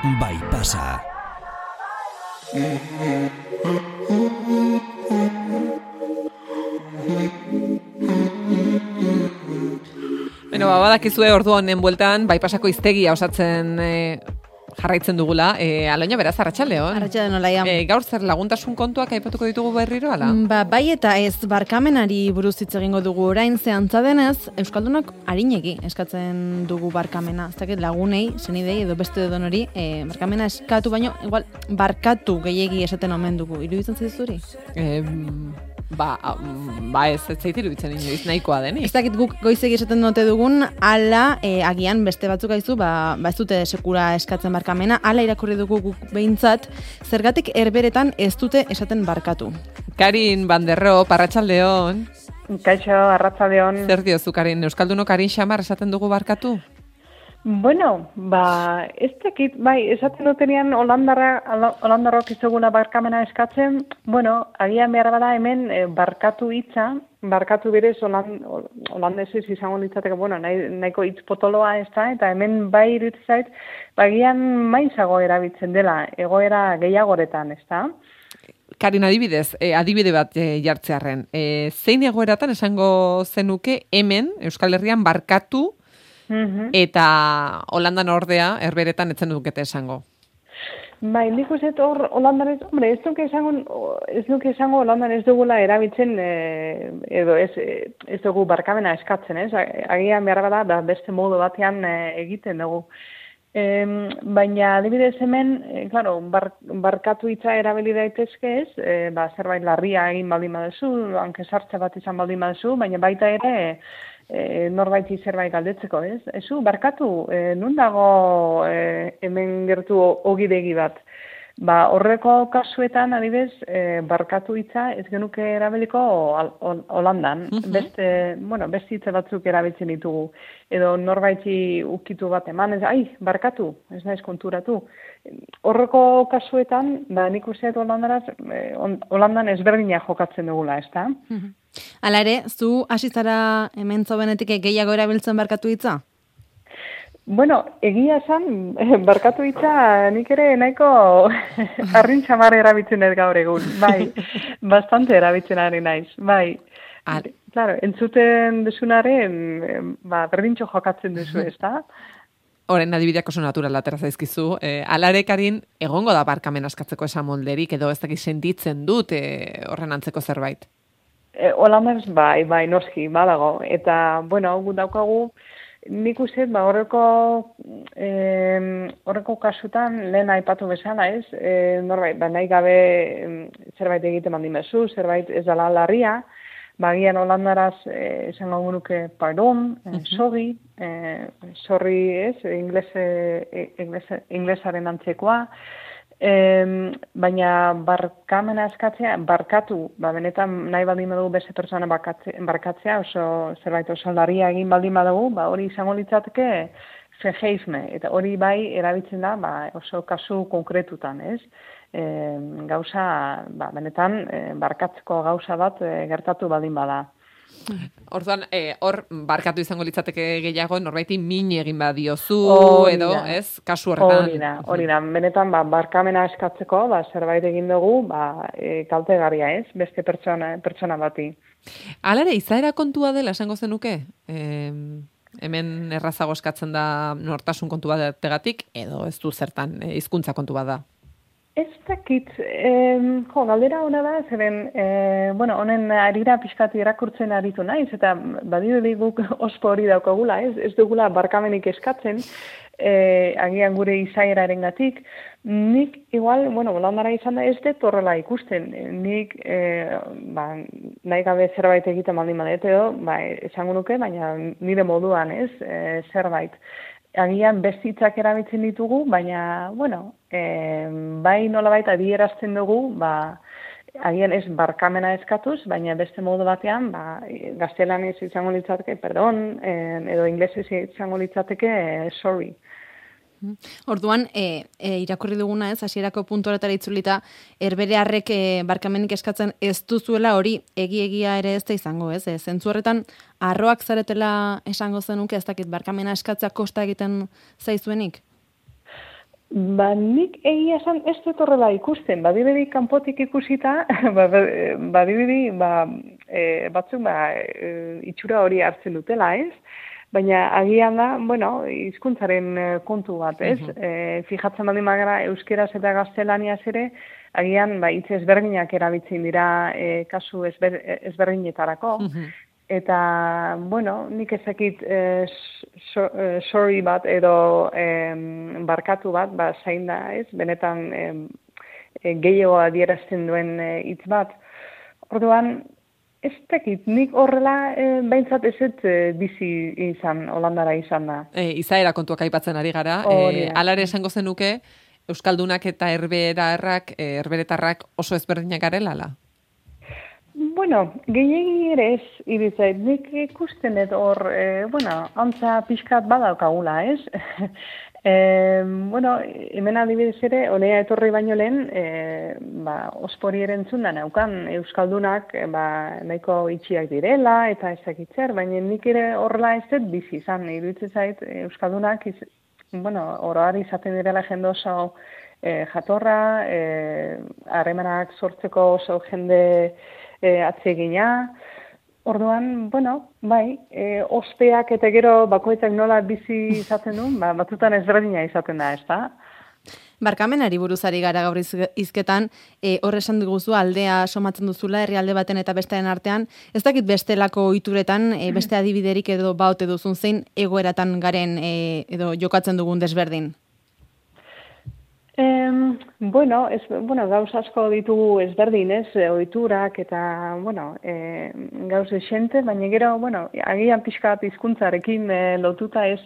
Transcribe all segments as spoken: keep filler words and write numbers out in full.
bai pasa. Bueno, ba, badakizue ordu honen bueltan, bai pasako hiztegia osatzen e, jarraitzen dugula. E, Aloña, beraz, arratsaldeon. Arratsaldeon, Olaia. E, gaur zer laguntasun kontuak aipatuko ditugu berriro, ala? Ba, bai eta ez barkamenari buruz hitz egingo dugu orain, ze antza denez, Euskaldunok arinegi eskatzen dugu barkamena. Ez dakit lagunei, senidei edo beste edonori, e, barkamena eskatu baino, igual, barkatu gehiegi esaten omen dugu. Iruditzen zaizuri? E, ba, ba ez, ez zait iruditzen inoiz nahikoa denik. Ez dakit guk goizegi esaten dute dugun, ala, e, agian beste batzuk aizu, ba, ba ez dute sekura eskatzen barkamena, ala irakurri dugu guk behintzat, zergatik herberetan ez dute esaten barkatu. Karin Banderro, arratsaldeon. Kaixo, arratsaldeon. Zer diozu, Karin? Euskaldunok Karin xamar esaten dugu barkatu? Bueno, ba, ez dakit, bai, esaten dutenean Holandarra, Holandarrok izoguna barkamena eskatzen, bueno, agian behar bada hemen e, barkatu hitza, barkatu berez Holand, holandesez izango litzateke, bueno, nahi, nahiko hitz potoloa ez da, eta hemen bai irutzait, bagian maizago erabiltzen dela, egoera gehiagoretan, ez da? Karin, adibidez, eh, adibide bat eh, jartzearren, eh, zein egoeratan esango zenuke hemen, Euskal Herrian barkatu, eta Holandan ordea, herberetan etzen dukete esango. Bai, nik uste hor Holandan ez, hombre, ez duke esango, ez duke esango Holandan ez dugula erabiltzen, e, edo ez, ez dugu barkamena eskatzen, ez? Agian behar bada, da beste modu batean e, egiten dugu. E, baina, adibidez hemen, e, claro, bar, barkatu hitza erabili daitezke ez, e, ba, zerbait larria egin baldin baduzu, hanke sartze bat izan baldin baduzu, baina baita ere, E, norbaiti zerbait galdetzeko, ez? Ezu, barkatu, e, nun dago e, hemen gertu ogidegi bat? Ba, horreko kasuetan, adibez, e, barkatu hitza ez genuke erabiliko Holandan. Mm-hmm. Beste, bueno, beste hitza batzuk erabiltzen ditugu. Edo norbaiti ukitu bat eman, ez, ai, barkatu, ez naiz konturatu. Horreko kasuetan, ba, nik uste Holandaraz, e, Holandan ezberdina jokatzen dugula, ez da? Mm-hmm. Hala ere, zu hasi zara hemen zobenetik gehiago erabiltzen barkatu hitza? Bueno, egia esan, barkatu hitza nik ere nahiko arrin xamar erabiltzen ez gaur egun, bai, bastante erabiltzen ari naiz, bai. Ar. Claro, entzuten duzunaren, ba, berdintxo jokatzen duzu, ez da? Horren adibideak oso natural atera zaizkizu. E, alare, Karin, egongo da barkamen askatzeko esan molderik, edo ez dakit sentitzen dut e, horren antzeko zerbait? E, Holandaz, bai, bai, noski, badago. Eta, bueno, gu daukagu, nik uste, ba, horreko, e, horreko kasutan, lehen aipatu bezala, ez? E, norbait, ba, nahi gabe zerbait egiten baldin bezu, zerbait ez dela larria, bagian Holandaraz e, esango gunuke pardon, e, sorry, e, sorry, ez? Inglese, inglese, inglesaren antzekoa, E, baina barkamena eskatzea, barkatu, ba, benetan nahi baldin badugu beste pertsona barkatzea, oso zerbait oso larria egin baldin badugu, ba, hori izango litzateke vergeefme, eta hori bai erabiltzen da ba, oso kasu konkretutan, ez? E, gauza, ba, benetan e, barkatzeko gauza bat e, gertatu baldin bada. Orduan, eh, hor barkatu izango litzateke gehiago, norbaiti min egin badiozu, edo, ez, kasu horretan. Hori da, hori da, benetan, ba, barkamena eskatzeko, ba, zerbait egin dugu, ba, e, kaltegarria, ez, beste pertsona, pertsona bati. Alare, izaera kontua dela, esango zenuke? E, hemen errazago eskatzen da nortasun kontu bategatik, edo ez du zertan, e, hizkuntza kontu bat da? Ez dakit, eh, jo, galdera hona da, zeren, eh, bueno, honen arira pixkati erakurtzen aritu naiz, eta badirudi guk ospo hori daukagula, ez, ez dugula barkamenik eskatzen, eh, agian gure izaeraren gatik. Nik, igual, bueno, Holandara izan da ez dut horrela ikusten, nik, eh, ba, nahi gabe zerbait egiten baldin badet edo, ba, esango nuke, baina nire moduan, ez, eh, zerbait. Agian bestitzak erabiltzen ditugu, baina, bueno, e, bai nolabait adierazten dugu, ba, agian ez barkamena eskatuz, baina beste modu batean, ba, gaztelanez izango litzateke, perdon, edo inglesez izango litzateke, sorry. Orduan, e, e, irakurri duguna ez, hasierako puntu horetara itzulita, herberearrek e, barkamenik eskatzen ez duzuela hori egi-egia ere ez da izango, ez? E, zentzu horretan, arroak zaretela esango zenuke, ez dakit, barkamena eskatzea kosta egiten zaizuenik? Ba, nik egia esan ez dut horrela ikusten, badirudi kanpotik ikusita, ba, badirudi ba, e, batzuk ba, e, itxura hori hartzen dutela, ez? Baina agian da, bueno, hizkuntzaren kontu bat, ez? Uh-huh. E, fijatzen baldin magara euskeraz eta gaztelaniaz ere, agian ba, hitz ezberdinak erabiltzen dira e, kasu ezber, ezberdinetarako. Uh-huh. Eta, bueno, nik ezakit eh, so, eh, sorry bat edo eh, barkatu bat, ba, zain da, ez? Benetan eh, gehiago adierazten duen hitz eh, bat. Orduan, ez dakit, nik horrela eh, behintzat ez ez eh, bizi izan, Holandara izan da. E, izaera kontuak aipatzen ari gara. E, alare esango zenuke, Euskaldunak eta herbetarrak, eh, herberetarrak oso ezberdinak garela, ala? Bueno, gehiegi ere ez iritzait, nik ikusten dut hor, e, bueno, antza pixkat badaukagula, ez? e, bueno, hemen adibidez ere, honea etorri baino lehen, e, ba, ospori erentzun da naukan, Euskaldunak e, ba, nahiko itxiak direla, eta ezakitzer, baina nik ere horrela ez dut bizi izan, iruditzen zait, Euskaldunak, iz, bueno, oroar izaten direla jende oso e, jatorra, harremanak e, sortzeko oso jende E, atsegina, orduan, bueno, bai, e, ospeak eta gero bakoitzak nola bizi izaten du, ba, batzutan ezberdina izaten da, ez da? Barkamenari buruzari gara gaur izketan, e, horre esan duguzu aldea somatzen duzula, herrialde baten eta bestearen artean, ez dakit bestelako ohituretan, e, beste adibiderik edo baote duzun zein egoeratan garen e, edo jokatzen dugun desberdin? Eh, bueno, ez, bueno, gauz asko ditugu ezberdin, ez, ohiturak eta, bueno, eh, gauz esente, baina gero, bueno, agian pixka bat hizkuntzarekin eh, lotuta ez,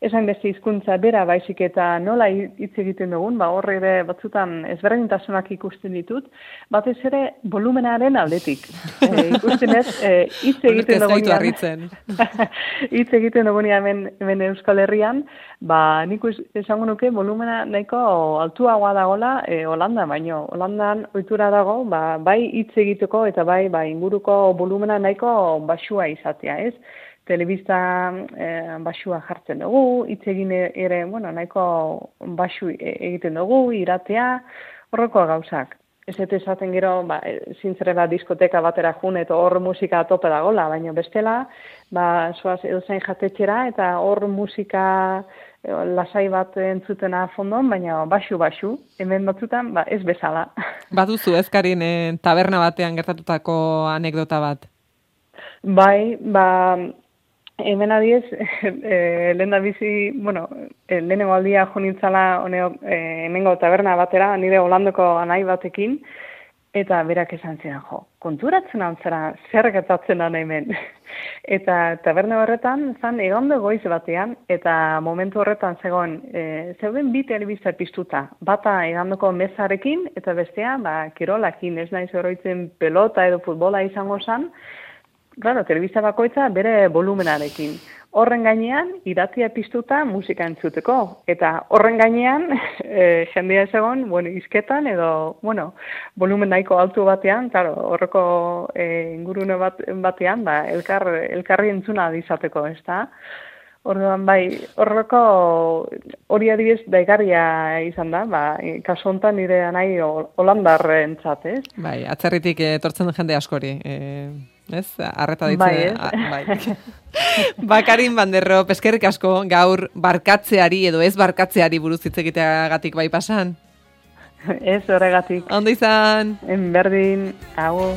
esan beste hizkuntza bera baizik eta nola hitz egiten dugun, ba horre ere batzutan ezberdintasunak ikusten ditut, batez ere volumenaren aldetik. E, ikusten ez, e, hitz egiten dugunean, hitz egiten dugunean hemen, hemen Euskal Herrian, ba nik esango nuke volumena nahiko altuagoa dagoela e, Holanda, baino Holandan ohitura dago, ba, bai hitz egiteko eta bai ba, inguruko volumena nahiko baxua izatea, ez? Telebista eh, baxua jartzen dugu, hitz egin ere, bueno, nahiko baxu egiten dugu, iratea, horreko gauzak. Ez eta esaten gero, ba, zintzerela diskoteka batera jun eta hor musika tope dagola, baina bestela, ba, soaz edozain jatetxera eta hor musika lasai bat entzutena fondon, baina baxu-baxu, hemen batzutan, ba, ez bezala. Baduzu ezkarin eh, taberna batean gertatutako anekdota bat? Bai, ba, hemen adiez, e, lehen da bizi, bueno, e, lehenengo aldia jo nintzala honeo, e, hemengo taberna batera, nire Holandoko anai batekin, eta berak esan zidan, jo, konturatzen antzera, zer gertatzen da hemen. Eta taberna horretan, zan, egando goiz batean, eta momentu horretan zegoen, e, zeuden bi telebista piztuta, bata egandoko mezarekin, eta bestea, ba, kirolakin, ez naiz oroitzen pelota edo futbola izango zan. Claro, telebista bakoitza bere volumenarekin. Horren gainean, iratia piztuta musika entzuteko. Eta horren gainean, e, jendea ez egon, bueno, izketan edo, bueno, volumen nahiko altu batean, claro, horreko e, ingurune bat, batean, ba, elkar, elkarri entzuna izateko, ez da? Orduan, bai, horreko hori adibidez daigarria izan da, ba, kasu honetan nire anai holandarrentzat, ez? Bai, atzerritik etortzen jende askori, eh... Ez, arreta ditzen. Bai, ez? A, bai. Bakarin Banderro, eskerrik asko gaur barkatzeari edo ez barkatzeari buruz hitz egiteagatik bai pasan. Ez horregatik. Ondo izan. En berdin, hau.